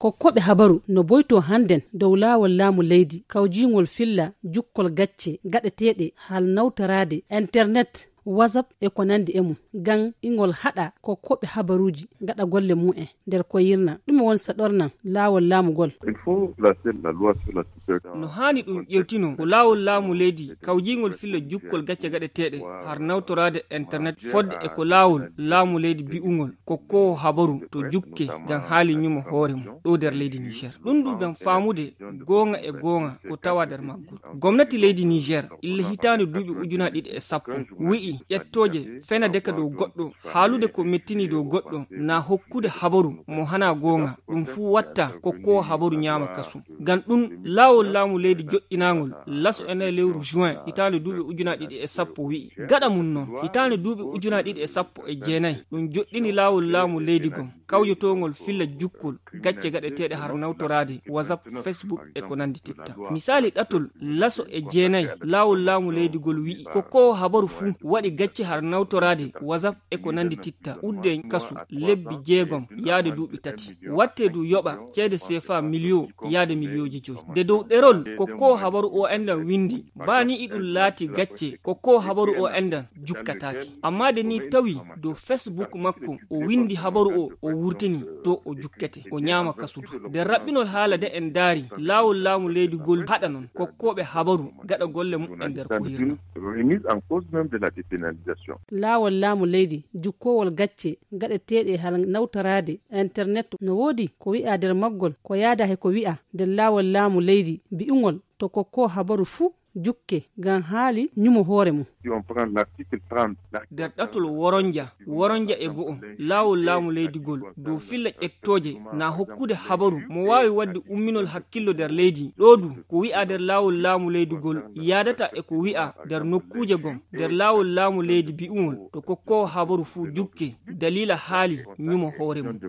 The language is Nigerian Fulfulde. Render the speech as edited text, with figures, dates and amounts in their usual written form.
kokkoɓe habaru no boyto handen dow laawol laamu leydi kawjingol filla jukkol gacce gaɗeteɗe hal nawtarade internet WhatsApp e ko nandi e mum gan ingol hada kokkoɓe habaruji gaɗa golle mu'en nder ko yirna ɗum won saɗornan laawol laamugol. No hani ɗum ƴewtino ko laawol laamu leydi kawjingol filla jukkol gacce gaɗeteɗe har nawtorade internet fodde e ko laawol laamu leydi bi'ugol kokkowo habaru to jukke gan haali nyumo hoore mum ɗo nder leydi Niger. ɗum du gam faamude gonga e gonga ko tawa nder maggol. Gomnati leydi Niger ille hitande duuɓi 2010 wi'i ƴettoje fenade dow goɗɗo haalude ko mettini dow goɗɗo na hokkude habaru mo hana gonga ɗum fu watta kokkowo habaru nyama kasu. Gan ɗum laawol laamu leydi joɗɗinagol laso ene lewru juin hitande duuɓi 2010 wi'i gaɗa mum noon hitande duuɓi 2019 ɗum joɗɗini laawol laamu leydi gon kawjotogol filla jukkol gacce gaɗeteɗe har nawtorade WhatsApp, Facebook e ko nandi titta. Misali ɗatol laso e jeenayi laawol laamu leydi gol wi'i kokkowo habaru fu waɗi gacce har nawtorade WhatsApp e ko nandi titta udde kasu lebbi 6 yaade duuɓi 3 watte du yoɓa ceede CFA million yaade milioji 5 de dow ɗerol kokkowo habaru o endan windi bani iɗum laati gacce kokkowo habaru o endan jukkataki amma de ni tawi dow Facebook makko o windi habaru o wurtini to o jukkete o nyama kasudu. De rabbinol haala de en daari laawol laamu leydi gol haɗa non kokkoɓe habaru gaɗa golle muɗɗen nder ko hirna. Laawol laamu leydi jukkowol gacce gaɗeteɗe hal nawtarade internet no woodi ko wi'a nder maggol ko yaada he ko wi'a nder laawol laamu leydi bi'ugol to kokko habaru fu jukke gan haali nyumo hoore mum. Der ɗatol woronja e go'o laawol laamu leydi gol dow filla ƴettoje na hokkude habaru mo wawi wadde umminol hakkillo nder leydi ɗo du ko wi'a nder laawol laamu leydi gol yaadata e ko wi'a nder nokkuje gon nder laawol laamu leydi bi'ugol to kokkowo habaru fu jukke dalila haali nyumo hoore mum.